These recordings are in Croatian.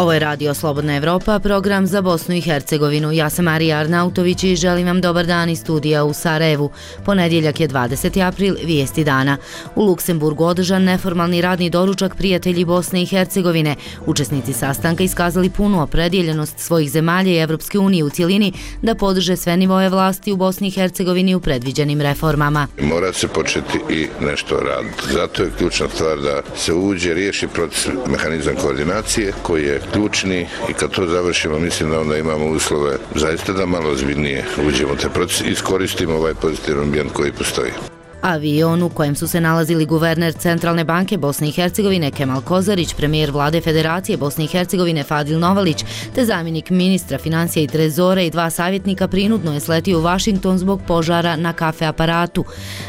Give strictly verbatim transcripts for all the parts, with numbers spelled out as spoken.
Ovo je Radio Slobodna Evropa, program za Bosnu i Hercegovinu. Ja sam Marija Arnautović i želim vam dobar dan iz studija u Sarajevu. Ponedjeljak je dvadeseti april, vijesti dana. U Luksemburgu održan neformalni radni doručak prijatelji Bosne i Hercegovine. Učesnici sastanka iskazali punu opredjeljenost svojih zemalja i Evropske unije u cjelini da podrže sve nivoje vlasti u Bosni i Hercegovini u predviđenim reformama. Mora se početi i nešto raditi. Zato je ključna stvar da se uđe, riješi proces, mehanizam koordinacije koji je ključni i kad to završimo mislim da onda imamo uslove zaista da malo ozbiljnije uđemo u taj proces i iskoristimo ovaj pozitivan ambijent koji postoji. Avion u kojem su se nalazili guverner Centralne banke Bosne i Hercegovine Kemal Kozarić, premijer vlade Federacije Bosne i Hercegovine Fadil Novalić, te zamjenik ministra financija i trezora i dva savjetnika prinudno je sletio u Vašington zbog požara na kafe aparatu.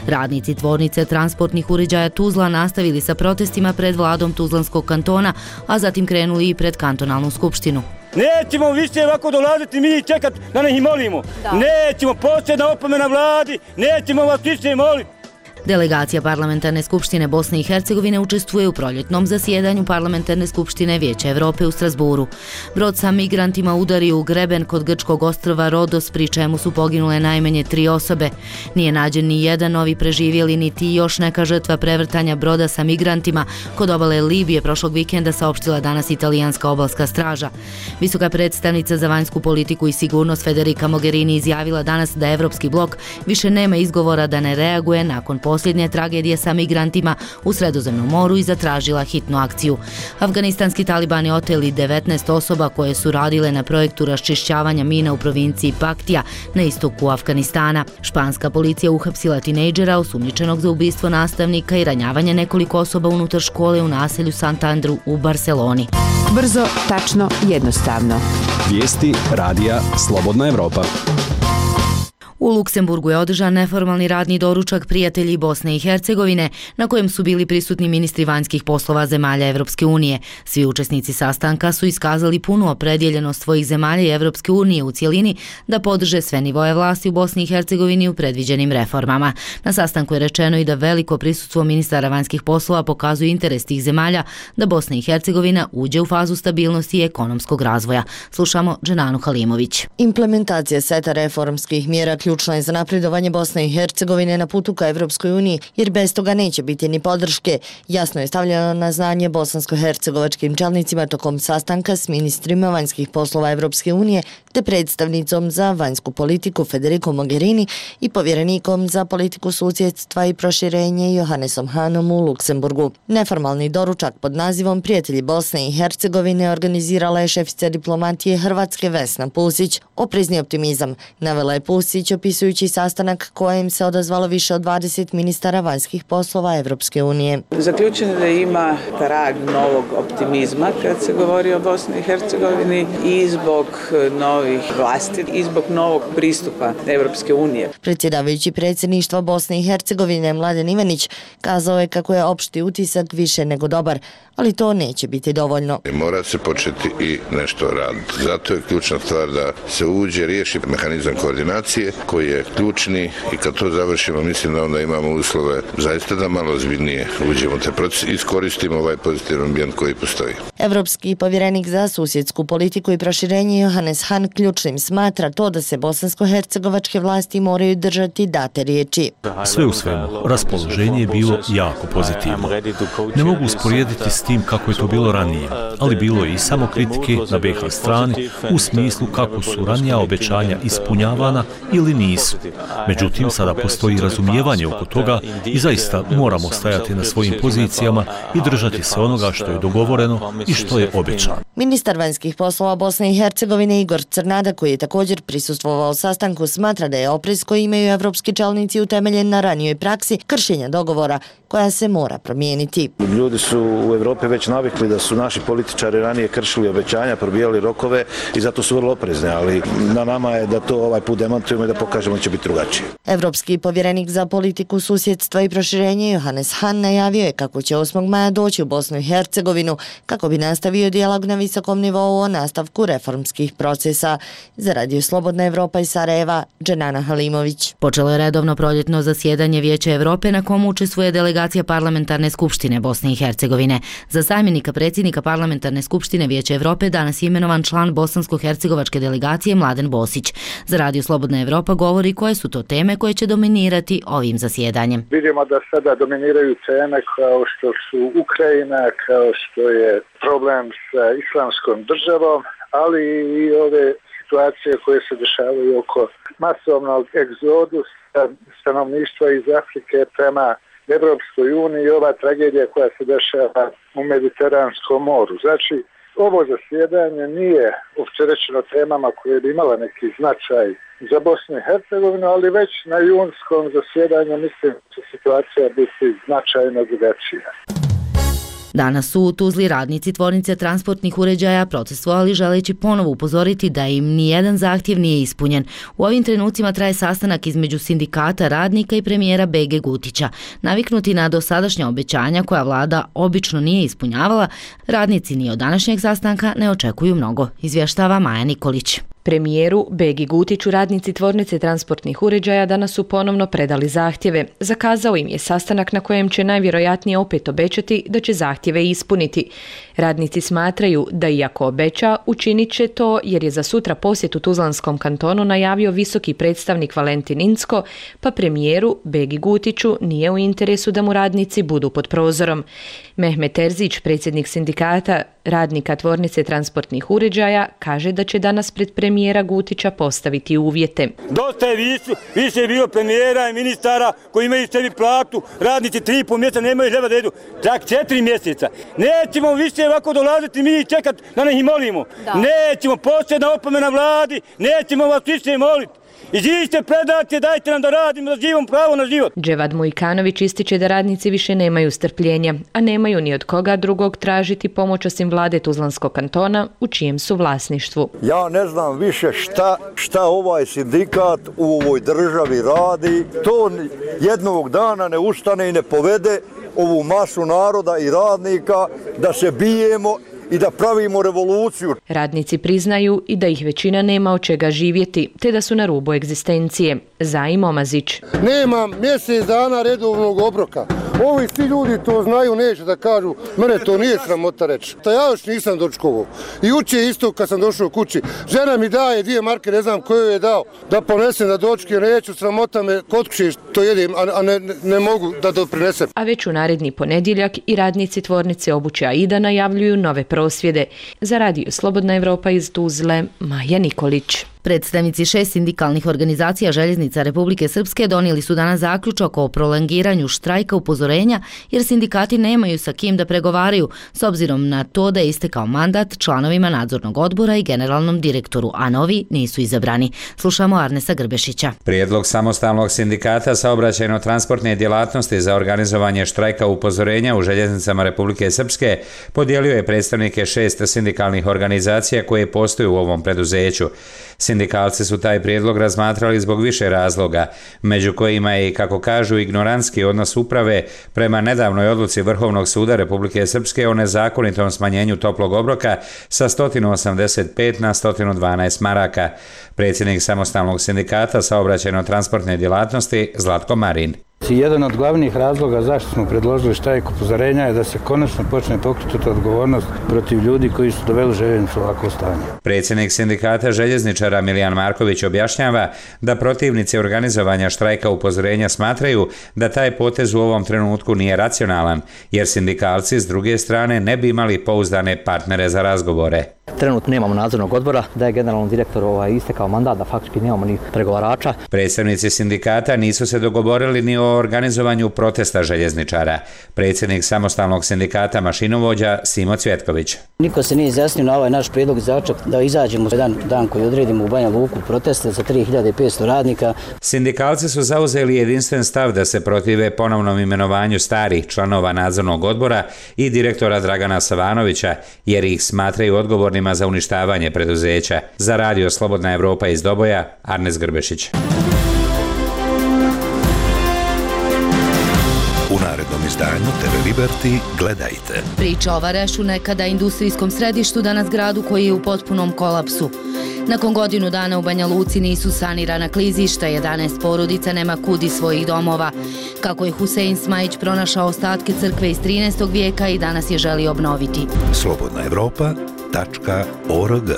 Radnici tvornice transportnih uređaja Tuzla nastavili sa protestima pred vladom Tuzlanskog kantona, a zatim krenuli i pred kantonalnu skupštinu. Nećemo više ovako dolaziti mi i čekati da ne ih molimo. Da. Nećemo, posljedna opomena vladi, nećemo vas više moliti. Delegacija Parlamentarne skupštine Bosne i Hercegovine učestvuje u proljetnom zasjedanju Parlamentarne skupštine Vijeća Evrope u Strasburu. Brod sa migrantima udario u greben kod grčkog ostrva Rodos, pri čemu su poginule najmanje tri osobe. Nije nađen ni jedan novi preživjeli, niti još neka žrtva prevrtanja broda sa migrantima kod obale Libije prošlog vikenda, saopštila danas italijanska obalska straža. Visoka predstavnica za vanjsku politiku i sigurnost Federica Mogherini izjavila danas da Evropski blok više nema izgovora da ne reaguje nakon posljednje tragedije sa migrantima u Sredozemnom moru i zatražila hitnu akciju. Afganistanski talibani oteli devetnaest osoba koje su radile na projektu raščišćavanja mina u provinciji Paktija na istoku Afganistana. Španska policija uhapsila tinejdžera osumnjičenog za ubistvo nastavnika i ranjavanje nekoliko osoba unutar škole u naselju Santandru u Barceloni. Brzo, tačno, jednostavno. Vijesti Radija Slobodna Evropa. U Luksemburgu je održan neformalni radni doručak prijatelji Bosne i Hercegovine, na kojem su bili prisutni ministri vanjskih poslova zemalja Evropske unije. Svi učesnici sastanka su iskazali punu opredjeljenost svojih zemalja i Evropske unije u cjelini da podrže sve nivoje vlasti u Bosni i Hercegovini u predviđenim reformama. Na sastanku je rečeno i da veliko prisustvo ministara vanjskih poslova pokazuje interes tih zemalja da Bosna i Hercegovina uđe u fazu stabilnosti i ekonomskog razvoja. Slušamo Dženanu Halimović. Implementacija seta reformskih mjera ključno je za napredovanje Bosne i Hercegovine na putu ka Evropskoj uniji, jer bez toga neće biti ni podrške. Jasno je stavljeno na znanje bosansko-hercegovačkim čelnicima tokom sastanka s ministrima vanjskih poslova Evropske unije te predstavnicom za vanjsku politiku Federicom Mogherini i povjerenikom za politiku susjedstva i proširenje Johannesom Hanom u Luksemburgu. Neformalni doručak pod nazivom Prijatelji Bosne i Hercegovine organizirala je šefica diplomatije Hrvatske Vesna Pusić. Oprezni optimizam navela je Pusić opisujući sastanak kojem se odazvalo više od dvadeset ministara vanjskih poslova Evropske unije. Zaključeno da ima trag novog optimizma kad se govori o Bosni i Hercegovini i zbog novih vlasti i zbog novog pristupa Evropske unije. Predsjedavajući predsjedništva Bosne i Hercegovine Mladen Ivanić kazao je kako je opšti utisak više nego dobar, ali to neće biti dovoljno. Mora se početi i nešto raditi. Zato je ključna stvar da se uđe, riješi mehanizam koordinacije koji je ključni i kad to završimo mislim da onda imamo uslove zaista da malo ozbiljnije uđemo u taj proces i iskoristimo ovaj pozitivan ambijent koji postoji. Evropski povjerenik za susjedsku politiku i proširenje Johannes Han ključnim smatra to da se bosansko-hercegovačke vlasti moraju držati date riječi. Sve u svemu, raspoloženje je bilo jako pozitivno. Ne mogu usporediti s tim kako je to bilo ranije, ali bilo je i samo kritike na be ha strani u smislu kako su ranija obećanja ispunjavana ili nisu. Međutim, sada postoji razumijevanje oko toga i zaista moramo stajati na svojim pozicijama i držati se onoga što je dogovoreno i što je obećano. Ministar vanjskih poslova Bosne i Hercegovine Igor Crnada, koji je također prisustvovao sastanku, smatra da je oprez koji imaju evropski čelnici utemeljen na ranijoj praksi kršenja dogovora koja se mora promijeniti. Ljudi su u Evropi već navikli da su naši političari ranije kršili obećanja, probijali rokove i zato su vrlo oprezni, ali na nama je da to ovaj put demantujemo i da pokažemo će biti drugačije. Evropski povjerenik za politiku susjedstva i proširenje Johannes Hahn najavio je kako će osmog maja doći u Bosnu i Hercegovinu kako bi nastavio dijalog na visokom nivou o nastavku reformskih procesa. Za Radio Slobodna Evropa iz Sarajeva, Dženana Halimović. Počelo je redovno proljetno zasjedanje Vijeća Evrope na komu učestvuje delegacija Parlamentarne skupštine Bosne i Hercegovine. Za zamjenika predsjednika Parlamentarne skupštine Vijeća Evrope danas je imenovan član bosansko-hercegovačke delegacije Mladen Bosić. Za Radio Slobodna Evropa govori koje su to teme koje će dominirati ovim zasjedanjem. Vidimo da sada dominiraju teme kao što su Ukrajina, kao što je problem sa islamskom državom, ali i ove situacije koje se dešavaju oko masovnog egzodusa stanovništva iz Afrike prema Evropskoj uniji i ova tragedija koja se dešava u Mediteranskom moru. Znači, ovo zasjedanje nije opterećeno temama koje bi imala neki značaj za Bosnu i Hercegovinu, ali već na junskom zasjedanju mislim da će situacija biti značajno drugačija. Danas su u Tuzli radnici tvornice transportnih uređaja protestovali želeći ponovo upozoriti da im nijedan zahtjev nije ispunjen. U ovim trenucima traje sastanak između sindikata radnika i premijera Bege Gutića. Naviknuti na dosadašnja obećanja koja vlada obično nije ispunjavala, radnici ni od današnjeg sastanka ne očekuju mnogo, izvještava Maja Nikolić. Premijeru Begi Gutiću radnici tvornice transportnih uređaja danas su ponovno predali zahtjeve. Zakazao im je sastanak na kojem će najvjerojatnije opet obećati da će zahtjeve ispuniti. Radnici smatraju da iako obeća, učinit će to jer je za sutra posjet u Tuzlanskom kantonu najavio visoki predstavnik Valentin Incko, pa premijeru Begi Gutiću nije u interesu da mu radnici budu pod prozorom. Mehmet Terzić, predsjednik sindikata radnika tvornice transportnih uređaja, kaže da će danas pred premijera Gutića postaviti uvjete. Dosta je više, više je bilo premijera i ministara koji imaju sebi platu, radnici tri i pol mjeseca nemaju hljeba da jedu, čak četiri mjeseca. Nećemo više ovako dolaziti mi i čekati da ne ih molimo. Da. Nećemo, posljedna opomena vladi, nećemo vas više moliti. Iziđite, predajte, dajte nam da radimo, da živimo pravo na život. Dževad Mujkanović ističe da radnici više nemaju strpljenja, a nemaju ni od koga drugog tražiti pomoć osim vlade Tuzlanskog kantona u čijem su vlasništvu. Ja ne znam više šta, šta ovaj sindikat u ovoj državi radi. To jednog dana ne ustane i ne povede ovu masu naroda i radnika da se bijemo i da pravimo revoluciju. Radnici priznaju i da ih većina nema od čega živjeti, te da su na rubu egzistencije. Zajim Omazić. Nema mjesec dana redovnog obroka. Ovi svi ljudi to znaju, neće da kažu, mene to nije sramota reći. Ta ja još nisam dočkovao. I uče isto kad sam došao kući. Žena mi daje dvije marke, ne znam koju je dao, da ponesem da dočke, neću, sramota me kod kuće to jedem, a ne, ne mogu da doprinesem. A već u naredni ponedjeljak i radnici tvornice obuće Aida najavljuju nove prosvjede. Za Radio Slobodna Evropa iz Tuzle, Maja Nikolić. Predstavnici šest sindikalnih organizacija željeznica Republike Srpske donijeli su danas zaključak o prolongiranju štrajka upozorenja jer sindikati nemaju sa kim da pregovaraju s obzirom na to da je istekao mandat članovima nadzornog odbora i generalnom direktoru, a novi nisu izabrani. Slušamo Arnesa Grbešića. Prijedlog samostalnog sindikata saobraćajno-transportne djelatnosti za organizovanje štrajka upozorenja u željeznicama Republike Srpske podijelio je predstavnike šest sindikalnih organizacija koje postoje u ovom preduzeću. Sindikalci su taj prijedlog razmatrali zbog više razloga, među kojima je i, kako kažu, ignorantski odnos uprave prema nedavnoj odluci Vrhovnog suda Republike Srpske o nezakonitom smanjenju toplog obroka sa sto osamdeset pet na sto dvanaest maraka. Predsjednik samostalnog sindikata saobraćajno-transportne djelatnosti Zlatko Marin. Jedan od glavnih razloga zašto smo predložili štrajk upozorenja je da se konačno počne pokrenuti odgovornost protiv ljudi koji su doveli željeznicu u ovakvo stanje. Predsjednik sindikata željezničara Milijan Marković objašnjava da protivnici organizovanja štrajka upozorenja smatraju da taj potez u ovom trenutku nije racionalan, jer sindikalci s druge strane ne bi imali pouzdane partnere za razgovore. Trenutno nemamo nadzornog odbora, da je generalnom direktoru ovaj, istekao mandat, da faktički nemamo ni pregovarača. Predstavnici sindikata nisu se dogovorili ni o organizovanju protesta željezničara. Predsjednik samostalnog sindikata mašinovođa Simo Cvjetković. Niko se nije izjasnio na ovaj naš prijedlog zaključak da izađemo jedan dan koji odredimo u Banja Luku proteste za tri hiljade petsto radnika. Sindikalci su zauzeli jedinstven stav da se protive ponovnom imenovanju starih članova nadzornog odbora i direktora Dragana Savanovića, jer ih smatraju odgovornima za uništavanje preduzeća. Za Radio Slobodna Evropa iz Doboja, Arnes Grbešić. urednom izdanju te ve Liberty gledajte. Priča o Varešu, nekada industrijskom središtu, danas gradu koji je u potpunom kolapsu. Nakon godinu dana u Banja Luci nisu sanirana klizišta, jedanaest porodica nema kud iz svojih domova. Kako je Husein Smajić pronašao ostatke crkve iz trinaestog vijeka i danas je želi obnoviti. slobodna evropa tačka org.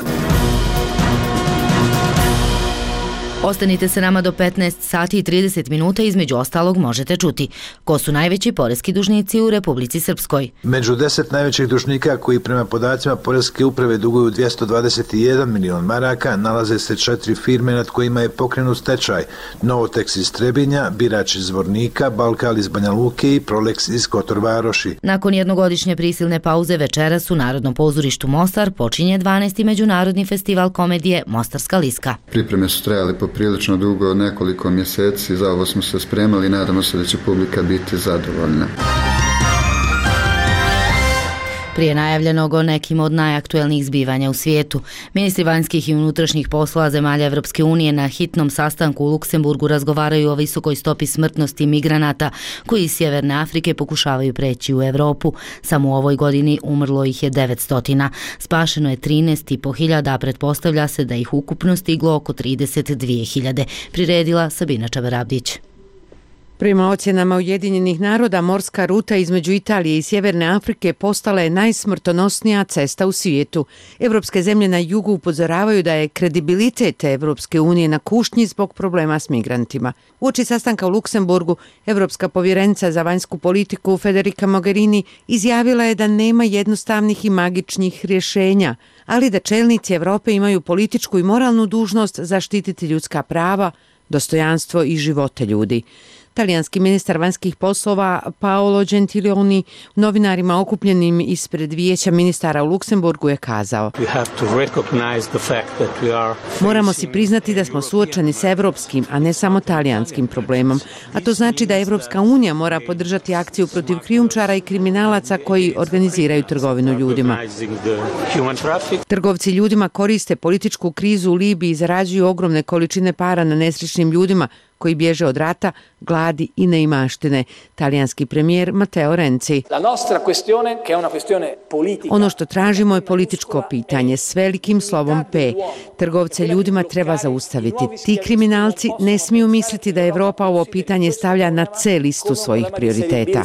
Ostanite se nama do petnaest sati i trideset minuta, između ostalog možete čuti ko su najveći poreski dužnici u Republici Srpskoj. Među deset najvećih dužnika koji prema podacima Poreske uprave duguju dvjesto dvadeset jedan milion maraka nalaze se četiri firme nad kojima je pokrenut stečaj: Novotex iz Trebinja, Birač iz Zvornika, Balkal iz Banja Luke i Prolex iz Kotor Varoši. Nakon jednogodišnje prisilne pauze večeras u Narodnom pozorištu Mostar počinje dvanaesti međunarodni festival komedije Mostarska liska. Pripreme su trajale poprilično dugo, nekoliko mjeseci, za ovo smo se spremali i nadamo se da će publika biti zadovoljna. Prije najavljenog o nekim od najaktuelnijih zbivanja u svijetu, ministri vanjskih i unutrašnjih poslova zemalja Evropske unije na hitnom sastanku u Luksemburgu razgovaraju o visokoj stopi smrtnosti migranata koji iz Sjeverne Afrike pokušavaju preći u Europu. Samo u ovoj godini umrlo ih je devetsto. Spašeno je trinaest i po hiljada, a pretpostavlja se da ih ukupno stiglo oko trideset dvije hiljade. Priredila Sabina Čabarabdić. Prema ocjenama Ujedinjenih naroda, morska ruta između Italije i Sjeverne Afrike postala je najsmrtonosnija cesta u svijetu. Evropske zemlje na jugu upozoravaju da je kredibilitet Evropske unije na kušnji zbog problema s migrantima. Uoči sastanka u Luksemburgu, Evropska povjerenica za vanjsku politiku Federica Mogherini izjavila je da nema jednostavnih i magičnih rješenja, ali da čelnici Evrope imaju političku i moralnu dužnost zaštititi ljudska prava, dostojanstvo i živote ljudi. Talijanski ministar vanjskih poslova Paolo Gentiloni novinarima okupljenim ispred vijeća ministara u Luksemburgu je kazao: Moramo si priznati da smo suočeni s evropskim, a ne samo talijanskim problemom, a to znači da Evropska unija mora podržati akciju protiv krijumčara i kriminalaca koji organiziraju trgovinu ljudima. Trgovci ljudima koriste političku krizu u Libiji i zarađuju ogromne količine para na nesrećnim ljudima koji bježe od rata, gladi i neimaštine. Talijanski premijer Matteo Renzi. Ono što tražimo je političko pitanje s velikim slovom P. Trgovce ljudima treba zaustaviti. Ti kriminalci ne smiju misliti da Evropa ovo pitanje stavlja na C listu svojih prioriteta.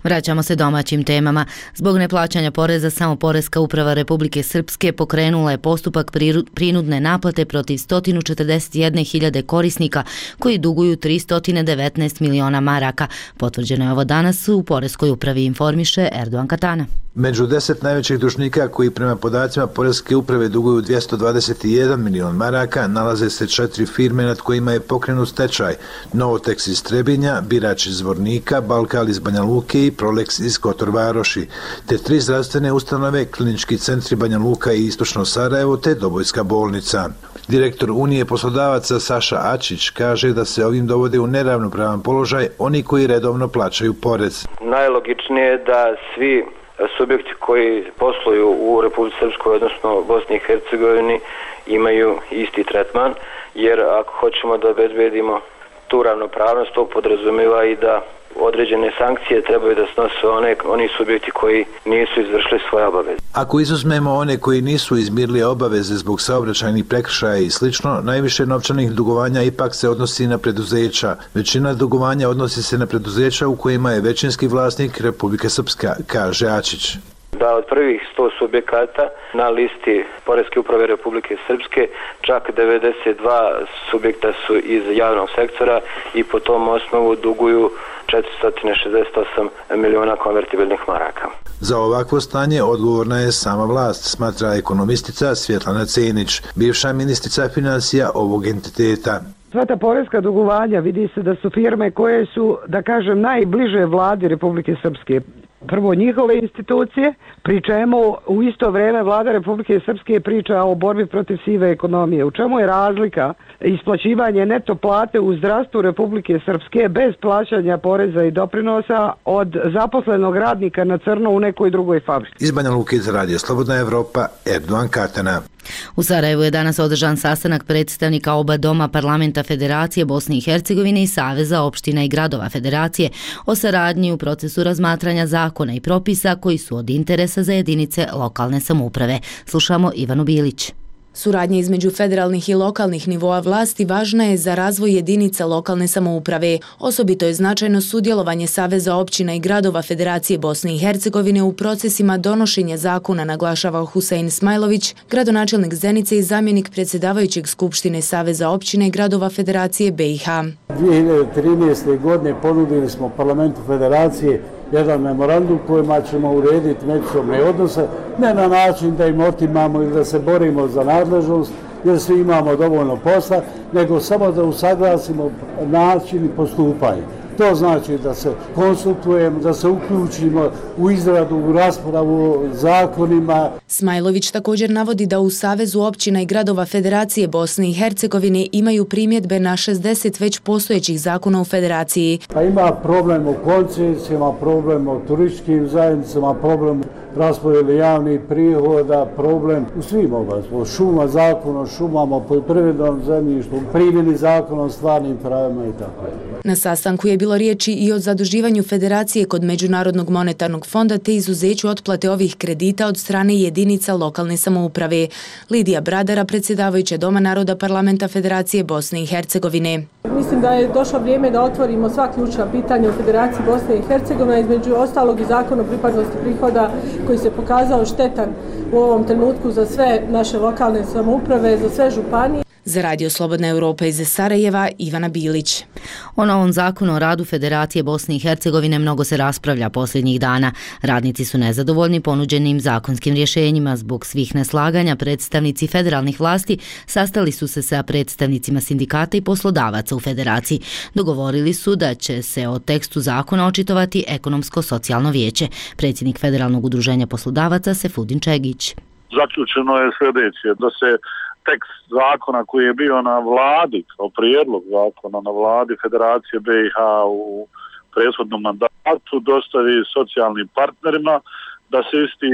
Vraćamo se domaćim temama. Zbog neplaćanja poreza, samo Poreska uprava Republike Srpske pokrenula je postupak prinudne naplate protiv sto četrdeset jedne hiljade korisnika koji duguju tristo devetnaest miliona maraka. Potvrđeno je ovo danas u Poreskoj upravi, informiše Erdogan Katana. Među deset najvećih dužnika koji prema podacima Poreske uprave duguju dvjesto dvadeset jedan milion maraka nalaze se četiri firme nad kojima je pokrenut stečaj: Novotex iz Trebinja, Birač iz Zvornika, Balkal iz Banja Luke i Prolex iz Kotor Varoši, te tri zdravstvene ustanove, klinički centri Banja Luka i Istočno Sarajevo te Dobojska bolnica. Direktor Unije poslodavaca Saša Ačić kaže da se ovim dovode u neravnopravan položaj oni koji redovno plaćaju porez. Najlogičnije je da svi subjekti koji posluju u Republici Srpskoj, odnosno Bosni i Hercegovini, imaju isti tretman, jer ako hoćemo da obezbedimo tu ravnopravnost, to podrazumijeva i da određene sankcije trebaju da snose one, oni subjekti koji nisu izvršili svoje obaveze. Ako izuzmemo one koji nisu izmirili obaveze zbog saobraćajnih prekršaja i slično, najviše novčanih dugovanja ipak se odnosi na preduzeća. Većina dugovanja odnosi se na preduzeća u kojima je većinski vlasnik Republika Srpska, kaže Ačić. Da od prvih sto subjekata na listi Poreske uprave Republike Srpske čak devedeset dva subjekta su iz javnog sektora i po tom osnovu duguju četiristo šezdeset osam miliona konvertibilnih maraka. Za ovakvo stanje odgovorna je sama vlast, smatra ekonomistica Svjetlana Cenić, bivša ministrica financija ovog entiteta. Sva ta poreska dugovanja vidi se da su firme koje su, da kažem, najbliže vladi Republike Srpske. Prvo njihove institucije, pri čemu u isto vrijeme vlada Republike Srpske priča o borbi protiv sive ekonomije. U čemu je razlika isplaćivanje neto plate u zdravstvu Republike Srpske bez plaćanja poreza i doprinosa od zaposlenog radnika na crno u nekoj drugoj fabrici? Iz Banja Luke za radio Slobodna Evropa, Erdogan Katana. U Sarajevu je danas održan sastanak predstavnika oba doma Parlamenta Federacije Bosne i Hercegovine i Saveza opština i gradova Federacije o saradnji u procesu razmatranja zakona i propisa koji su od interesa za jedinice lokalne samouprave. Slušamo Ivanu Bilić. Suradnja između federalnih i lokalnih nivoa vlasti važna je za razvoj jedinica lokalne samouprave. Osobito je značajno sudjelovanje Saveza općina i gradova Federacije Bosne i Hercegovine u procesima donošenja zakona, naglašava Husein Smajlović, gradonačelnik Zenice i zamjenik predsjedavajućeg Skupštine Saveza općina i gradova Federacije B i H. dvije hiljade trinaeste. godine ponudili smo Parlamentu Federacije jedan memorandum kojima ćemo urediti međusobne odnose, ne na način da im otimamo ili da se borimo za nadležnost, jer svi imamo dovoljno posla, nego samo da usaglasimo način i postupanje. To znači da se konsultujemo, da se uključimo u izradu, u raspravu o zakonima. Smajlović također navodi da u Savezu općina i gradova Federacije Bosne i Hercegovine imaju primjedbe na šezdeset već postojećih zakona u Federaciji. Pa ima problem u koncesijama, problem u turističkim zajednicama, problem raspodjele javnih prihoda, problem u svim oblastima, šuma, zakon o šumama, o poljoprivrednom zemljištu, primjeni zakona o stvarnim pravima i tako. Na sastanku je bilo riječi i o zaduživanju Federacije kod Međunarodnog monetarnog fonda te izuzeću otplate ovih kredita od strane jedinica lokalne samouprave. Lidija Bradara, predsjedavajuća Doma naroda Parlamenta Federacije Bosne i Hercegovine. Mislim da je došlo vrijeme da otvorimo sva ključna pitanja u Federaciji Bosne i Hercegovine, između ostalog i zakon o pripadnosti prihoda koji se pokazao štetan u ovom trenutku za sve naše lokalne samouprave, za sve županije. Za Radio Slobodna Europa iz Sarajeva, Ivana Bilić. O novom zakonu o radu Federacije Bosne i Hercegovine mnogo se raspravlja posljednjih dana. Radnici su nezadovoljni ponuđenim zakonskim rješenjima. Zbog svih neslaganja predstavnici federalnih vlasti sastali su se sa predstavnicima sindikata i poslodavaca u Federaciji. Dogovorili su da će se o tekstu zakona očitovati Ekonomsko-socijalno vijeće. Predsjednik Federalnog udruženja poslodavaca Sefudin Čegić. Zaključeno je sljedeće, da se tekst zakona koji je bio na vladi, kao prijedlog zakona na vladi Federacije B i H u prethodnom mandatu, dostavi socijalnim partnerima, da se isti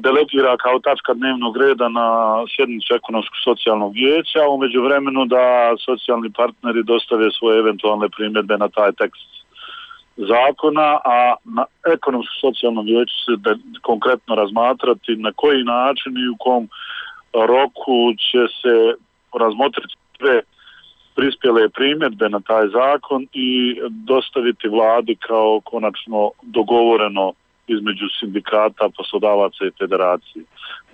delegira kao tačka dnevnog reda na sjednicu Ekonomsko-socijalnog vijeća, a umeđu vremenu da socijalni partneri dostave svoje eventualne primjedbe na taj tekst zakona, a na Ekonomsko-socijalnom vijeću se de, konkretno razmatrati na koji način i u kom roku će se razmotriti sve prispjele primjedbe na taj zakon i dostaviti vladi kao konačno dogovoreno između sindikata, poslodavaca i federacije.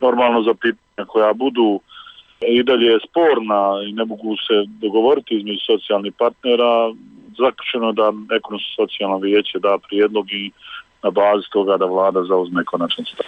Normalno za pitanja koja budu i dalje sporna i ne mogu se dogovoriti između socijalnih partnera, zaključeno da Ekonomsko-socijalno vijeće da prijedlog i na bazi toga da vlada zauzme konačan stav.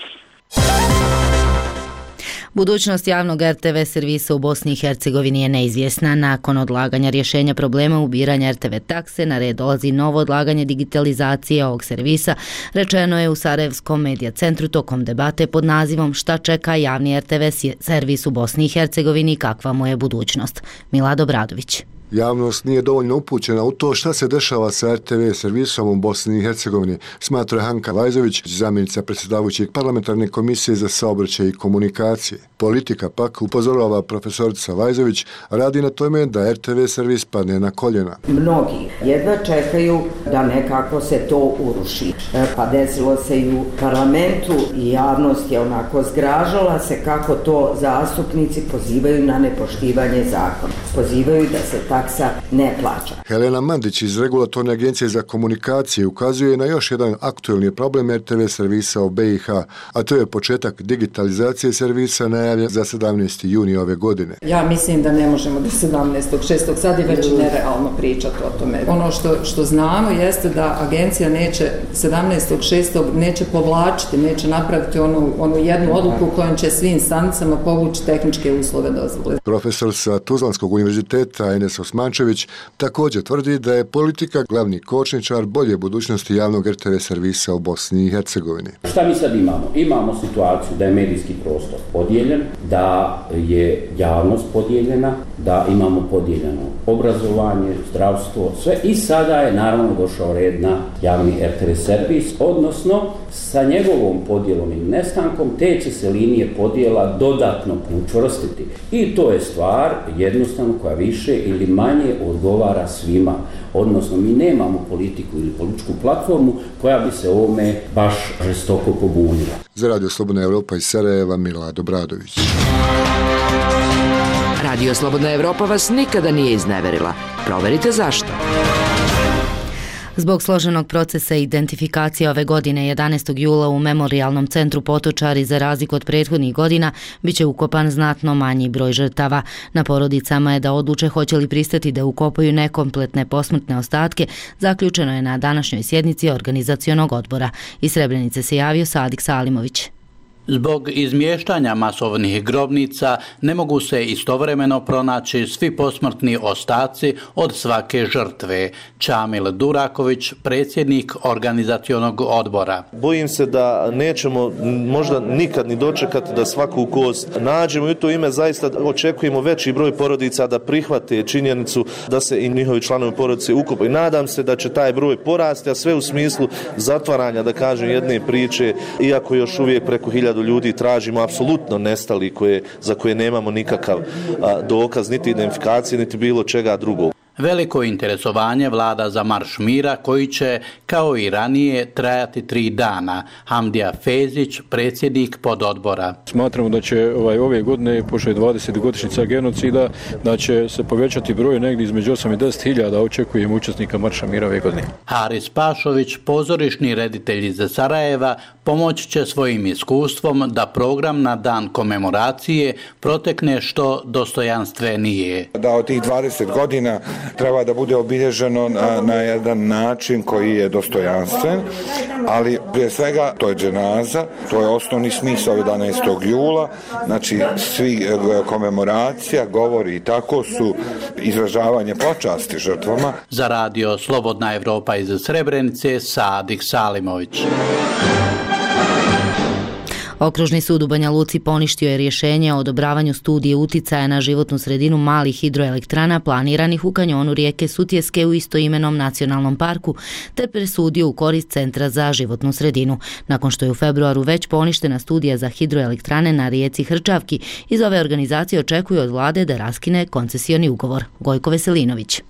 Budućnost javnog R T V servisa u Bosni i Hercegovini je neizvjesna. Nakon odlaganja rješenja problema ubiranja R T V takse, na red dolazi novo odlaganje digitalizacije ovog servisa, rečeno je u Sarajevskom medija centru tokom debate pod nazivom Šta čeka javni R T V servis u Bosni i Hercegovini i kakva mu je budućnost. Milado Bradović. Javnost nije dovoljno upućena u to šta se dešava sa R T V servisom u Bosni i Hercegovini, smatra Hanka Vajzović, zamjenica predsjedavajućeg parlamentarne komisije za saobraćaj i komunikacije. Politika pak, upozorava profesorica Vajzović, radi na tome da R T V servis padne na koljena. Mnogi jedva čekaju da nekako se to uruši. Pa desilo se i u parlamentu i javnost je onako zgražala se kako to zastupnici pozivaju na nepoštivanje zakona. Pozivaju da se taksa ne plaća. Helena Mandić iz Regulatorne agencije za komunikacije ukazuje na još jedan aktuelni problem R T V servisa u B i H, a to je početak digitalizacije servisa najavljen za sedamnaesti juni ove godine. Ja mislim da ne možemo do sedamnaestog šestog sad je već nerealno pričati o tome. Ono što, što znamo jeste da agencija neće sedamnaestog šestog neće povlačiti, neće napraviti onu, onu jednu odluku kojom će svim instancama povući tehničke uslove dozvole. Profesor sa Tuzlanskog univerziteta Enes Osmančević također tvrdi da je politika glavni kočničar bolje budućnosti javnog er te ve servisa u Bosni i Hercegovini. Šta mi sad imamo? Imamo situaciju da je medijski prostor podijeljen, da je javnost podijeljena, da imamo podijeljeno obrazovanje, zdravstvo, sve i sada je naravno došao red na javni er te ve servis, odnosno sa njegovom podjelom i nestankom te će se linije podjela dodatno učvrstiti. I to je stvar jednostavno koja više ili manje odgovara svima. Odnosno mi nemamo politiku ili političku platformu koja bi se ovome baš žestoko pobunila. Za Radio Slobodna Evropa iz Sarajeva, Milad Obradović. Radio Slobodna Evropa vas nikada nije izneverila. Proverite zašto. Zbog složenog procesa identifikacije ove godine jedanaestog jula u Memorijalnom centru Potočari za razliku od prethodnih godina biće ukopan znatno manji broj žrtava. Na porodicama je da odluče hoće li pristati da ukopaju nekompletne posmrtne ostatke, zaključeno je na današnjoj sjednici organizacionog odbora. Iz Srebrenice se javio Sadik Salimović. Zbog izmještanja masovnih grobnica ne mogu se istovremeno pronaći svi posmrtni ostaci od svake žrtve. Čamil Duraković, predsjednik organizacionog odbora. Bojim se da nećemo možda nikad ni dočekati da svaku kost nađemo i u to ime zaista očekujemo veći broj porodica da prihvate činjenicu da se i njihovi članovi porodice ukopaju. Nadam se da će taj broj porasti, a sve u smislu zatvaranja, da kažem, jedne priče, iako još uvijek preko hiljadu ljudi tražimo apsolutno nestali koje, za koje nemamo nikakav a, dokaz, niti identifikacije, niti bilo čega drugog. Veliko interesovanje vlada za marš mira koji će, kao i ranije, trajati tri dana. Hamdija Fezić, predsjednik pododbora. Smatramo da će ovaj, ove godine, pošto je dvadesetogodišnjica genocida, da će se povećati broj negdje između osam i deset hiljada, očekujemo učesnika marša mira ove godine. Haris Pašović, pozorišni reditelj iz Sarajeva, pomoći će svojim iskustvom da program na dan komemoracije protekne što dostojanstvenije. Da od tih dvadeset godina treba da bude obilježeno na, na jedan način koji je dostojanstven, ali prije svega to je dženaza, to je osnovni smisao jedanaestog jula, znači svi komemoracija, govori i tako su izražavanje počasti žrtvama. Za Radio Slobodna Evropa iz Srebrenice, Sadik Salimović. Okružni sud u Banja Luci poništio je rješenje o odobravanju studije uticaja na životnu sredinu malih hidroelektrana planiranih u kanjonu rijeke Sutjeske u istoimenom nacionalnom parku, te presudio u korist Centra za životnu sredinu. Nakon što je u februaru već poništena studija za hidroelektrane na rijeci Hrčavki, iz ove organizacije očekuju od vlade da raskine koncesioni ugovor. Gojko Veselinović.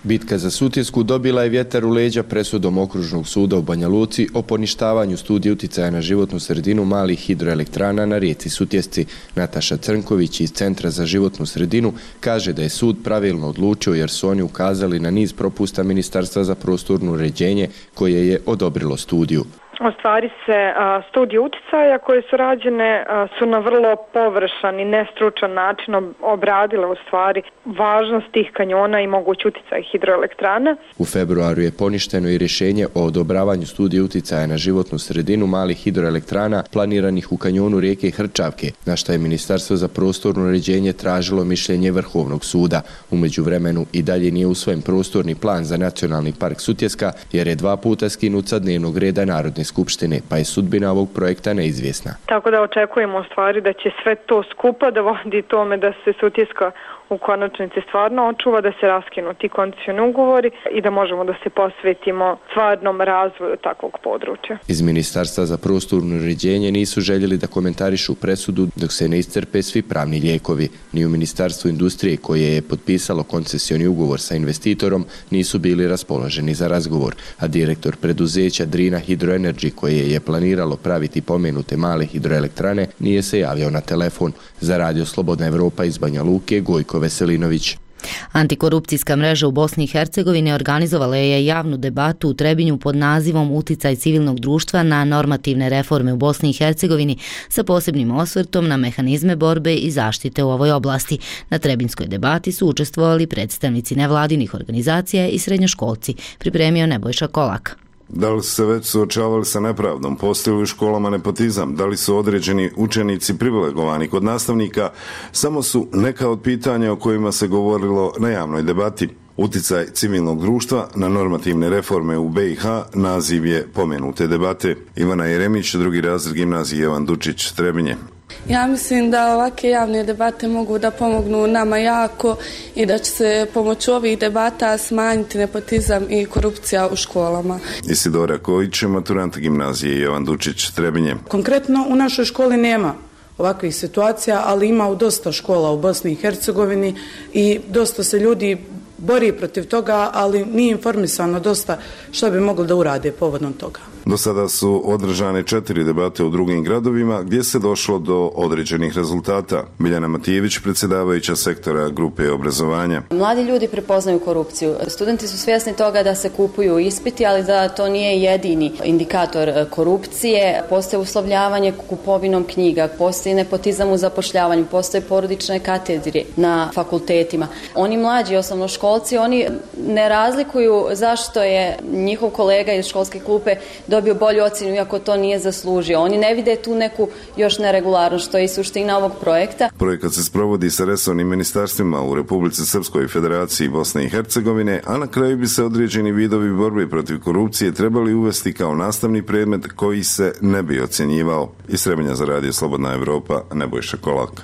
Bitka za Sutjesku dobila je vjetar u leđa presudom Okružnog suda u Banja Luci o poništavanju studije uticaja na životnu sredinu malih hidroelektrana na rijeci Sutjesci. Nataša Crnković iz Centra za životnu sredinu kaže da je sud pravilno odlučio jer su oni ukazali na niz propusta Ministarstva za prostorno uređenje koje je odobrilo studiju. U stvari se a, studije uticaja koje su rađene a, su na vrlo površan i nestručan način obradile u stvari važnost tih kanjona i moguć uticaj hidroelektrana. U februaru je poništeno i rješenje o odobravanju studije uticaja na životnu sredinu malih hidroelektrana planiranih u kanjonu rijeke Hrčavke, na što je Ministarstvo za prostorno uređenje tražilo mišljenje Vrhovnog suda. U međuvremenu i dalje nije usvojen prostorni plan za nacionalni park Sutjeska jer je dva puta skinut sa dnevnog reda Narodne skupštine, pa je sudbina ovog projekta neizvjesna. Tako da očekujemo u stvari da će sve to skupa da vodi tome da se Sutjeska u konačnici stvarno očuva, da se raskinu ti koncesioni ugovori i da možemo da se posvetimo stvarnom razvoju takvog područja. Iz Ministarstva za prostorno uređenje nisu željeli da komentarišu presudu dok se ne iscrpe svi pravni lijekovi. Ni u Ministarstvu industrije koje je potpisalo koncesioni ugovor sa investitorom nisu bili raspoloženi za razgovor, a direktor preduzeća Drina Hydroenergy koje je planiralo praviti pomenute male hidroelektrane nije se javio na telefon. Za Radio Slobodna Evropa iz Banja Luke, Gojko Veselinović. Antikorupcijska mreža u Bosni i Hercegovini organizovala je javnu debatu u Trebinju pod nazivom Uticaj civilnog društva na normativne reforme u Bosni i Hercegovini sa posebnim osvrtom na mehanizme borbe i zaštite u ovoj oblasti. Na trebinskoj debati su učestvovali predstavnici nevladinih organizacija i srednjoškolci, pripremio Nebojša Kolak. Da li su se već suočavali sa nepravdom? Postoji li u školama nepotizam? Da li su određeni učenici privilegovani kod nastavnika? Samo su neka od pitanja o kojima se govorilo na javnoj debati. Uticaj civilnog društva na normativne reforme u B i H naziv je pomenute debate. Ivana Jeremić, drugi razred gimnazije Jovan Dučić, Trebinje. Ja mislim da ovakve javne debate mogu da pomognu nama jako i da će se pomoću ovih debata smanjiti nepotizam i korupcija u školama. Isidora Kojić, maturant gimnazije Jovan Dučić, Trebinje. Konkretno u našoj školi nema ovakvih situacija, ali ima u dosta škola u Bosni i Hercegovini i dosta se ljudi bori protiv toga, ali nije informisano dosta što bi mogli da urade povodom toga. Do sada su održane četiri debate u drugim gradovima gdje se došlo do određenih rezultata. Miljana Matijević, predsjedavajuća sektora grupe obrazovanja. Mladi ljudi prepoznaju korupciju. Studenti su svjesni toga da se kupuju ispiti, ali da to nije jedini indikator korupcije. Postoje uslovljavanje kupovinom knjiga, postoji nepotizam u zapošljavanju, postoje porodične katedre na fakultetima. Oni mlađi osnovnoškolci, oni ne razlikuju zašto je njihov kolega iz školske klupe dobio bolju ocjenu iako to nije zaslužio. Oni ne vide tu neku još neregularnost, što je i suština ovog projekta. Projekat se sprovodi sa resornim ministarstvima u Republici Srpskoj i Federaciji Bosne i Hercegovine, a na kraju bi se određeni vidovi borbe protiv korupcije trebali uvesti kao nastavni predmet koji se ne bi ocjenjivao. Iz Trebinja za radio Slobodna Evropa, Nebojša Kolak.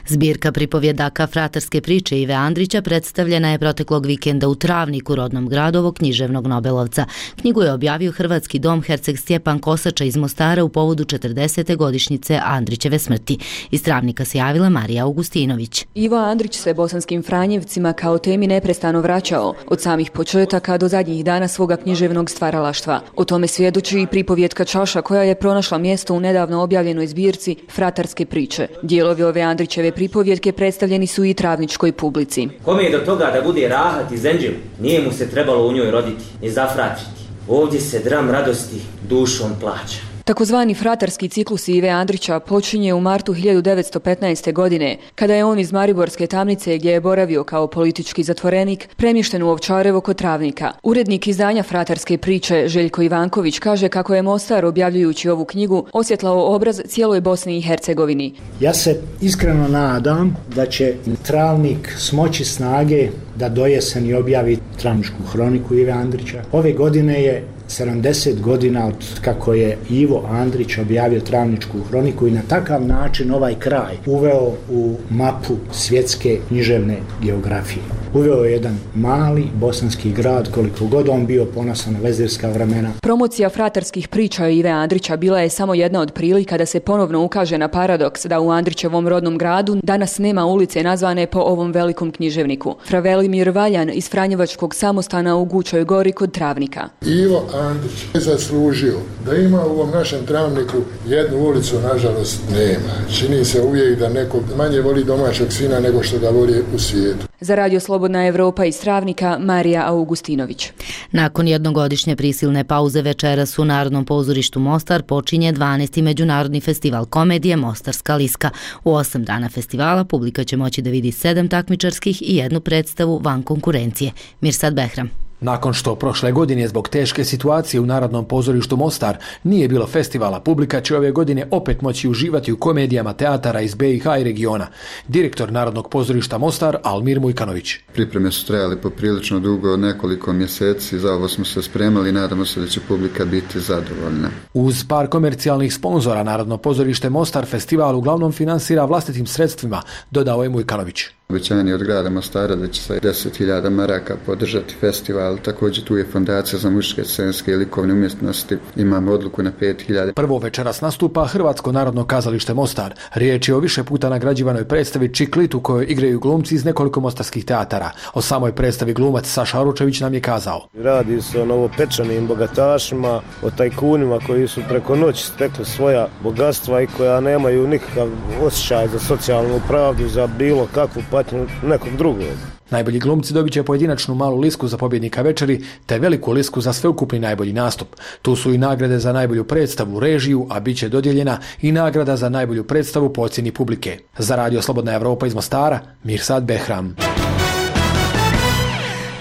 Zbirka pripovjedaka Fratarske priče Ive Andrića predstavljena je proteklog vikenda u Travniku, rodnom gradu ovog književnog Nobelovca. Knjigu je objavio Hrvatski dom Herceg Stjepan Kosača iz Mostara u povodu četrdesete godišnjice Andrićeve smrti. Iz Travnika se javila Marija Augustinović. Ivo Andrić se bosanskim Franjevcima kao temi neprestano vraćao, od samih početaka do zadnjih dana svoga književnog stvaralaštva. O tome svjedoči i pripovjetka Čaša koja je pronašla mjesto u nedavno objavljenoj zbirci Fratarske priče. Dijelovi ove Andrićeve pripovjetke predstavljeni su i travničkoj publici. Kome je do toga da bude rahat i zenđel, nije mu se trebalo u njoj roditi, ni zafratiti. Ovdje se dram radosti dušom plaća. Takozvani fratarski ciklus Ive Andrića počinje u martu hiljadu devetsto petnaeste. godine, kada je on iz Mariborske tamnice, gdje je boravio kao politički zatvorenik, premješten u Ovčarevo kod Travnika. Urednik izdanja Fratarske priče Željko Ivanković kaže kako je Mostar, objavljujući ovu knjigu, osvjetlao obraz cijeloj Bosni i Hercegovini. Ja se iskreno nadam da će Travnik smoći snage da do jeseni objavi Travničku hroniku Ive Andrića. Ove godine je sedamdeset godina od kako je Ivo Andrić objavio Travničku hroniku i na takav način ovaj kraj uveo u mapu svjetske književne geografije. Uveo je jedan mali bosanski grad, koliko god on bio ponosan na vezirska vremena. Promocija fratarskih priča Ive Andrića bila je samo jedna od prilika da se ponovno ukaže na paradoks da u Andrićevom rodnom gradu danas nema ulice nazvane po ovom velikom književniku. Fra Velimir Valjan iz Franjevačkog samostana u Gučoj gori kod Travnika. Ivo Andrić je zaslužio da ima u ovom našem Travniku jednu ulicu, nažalost nema. Čini se uvijek da neko manje voli domaćeg sina nego što ga voli u svijetu. Za radio Slobodna Evropa iz Travnika, Marija Augustinović. Nakon jednogodišnje prisilne pauze večeras u Narodnom pozorištu Mostar počinje dvanaesti. Međunarodni festival komedije Mostarska liska. U osam dana festivala publika će moći da vidi sedam takmičarskih i jednu predstavu van konkurencije. Mirsad Behram. Nakon što prošle godine zbog teške situacije u Narodnom pozorištu Mostar nije bilo festivala, publika će ove godine opet moći uživati u komedijama teatara iz B i H i regiona. Direktor Narodnog pozorišta Mostar Almir Mujkanović. Pripreme su trajale poprilično dugo, nekoliko mjeseci, za ovo smo se spremali i nadamo se da će publika biti zadovoljna. Uz par komercijalnih sponzora Narodno pozorište Mostar festival uglavnom finansira vlastitim sredstvima, dodao je Mujkanović. Obećanje od grada Mostara da će sa deset hiljada maraka podržati festival. Također tu je Fondacija za muške scenske i likovne umjetnosti. Imamo odluku na pet hiljada. Prvo večeras nastupa Hrvatsko narodno kazalište Mostar. Riječ je o više puta nagrađivanoj predstavi Čiklit u kojoj igraju glumci iz nekoliko mostarskih teatara. O samoj predstavi glumac Saša Aručević nam je kazao. Radi se o novopečanim bogatašima, o tajkunima koji su preko noći stekli svoja bogatstva i koja nemaju nikakav osjećaj za socijalnu pravdu, za bilo kakvu patnju nekog drugog. Najbolji glumci dobit će pojedinačnu malu lisku za pobjednika večeri, te veliku lisku za sveukupni najbolji nastup. Tu su i nagrade za najbolju predstavu, režiju, a bit će dodijeljena i nagrada za najbolju predstavu po ocjeni publike. Za radio Slobodna Evropa iz Mostara, Mirsad Behram.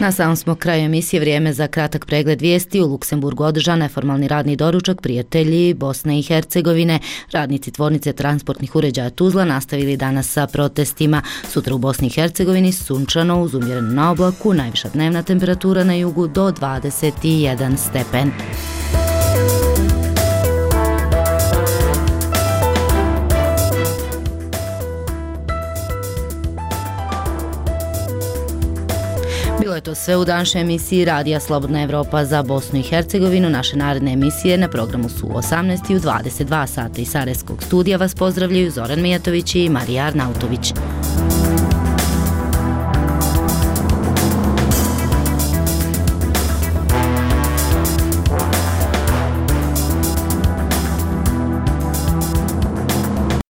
Na samom smo kraju emisije, vrijeme za kratak pregled vijesti. U Luksemburgu održan neformalni radni doručak prijatelji Bosne i Hercegovine. Radnici tvornice transportnih uređaja Tuzla nastavili danas sa protestima. Sutra u Bosni i Hercegovini sunčano uz umjerenu na oblaku, najviša dnevna temperatura na jugu do dvadeset jedan stepen. Bilo je to sve u današnjoj emisiji Radija Slobodna Evropa za Bosnu i Hercegovinu. Naše naredne emisije na programu su u osamnaest i u dvadeset dva sata. Iz Sarajevskog studija vas pozdravljaju Zoran Mijatović i Marija Arnautović.